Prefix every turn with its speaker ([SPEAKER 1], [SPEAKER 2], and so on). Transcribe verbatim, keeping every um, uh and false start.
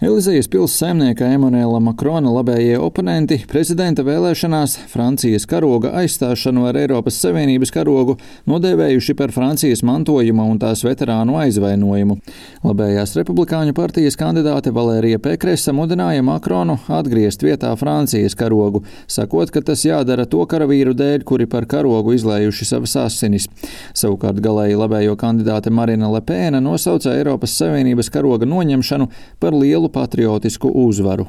[SPEAKER 1] Elizejas pils saimnieka Emanuela Makrona labējie oponenti prezidenta vēlēšanās Francijas karoga aizstāšanu ar Eiropas Savienības karogu nodēvējuši par Francijas mantojuma un tās veterānu aizvainojumu. Labējās republikāņu partijas kandidāte Valērija Pekresa mudināja Makronu atgriezt vietā Francijas karogu, sakot, ka tas jādara to karavīru dēļ, kuri par karogu izlējuši savas asinis. Savukārt galēji labējo kandidāte Marina Le Pena nosauca Eiropas Savienības karoga noņemšanu par lielu patriotisku uzvaru.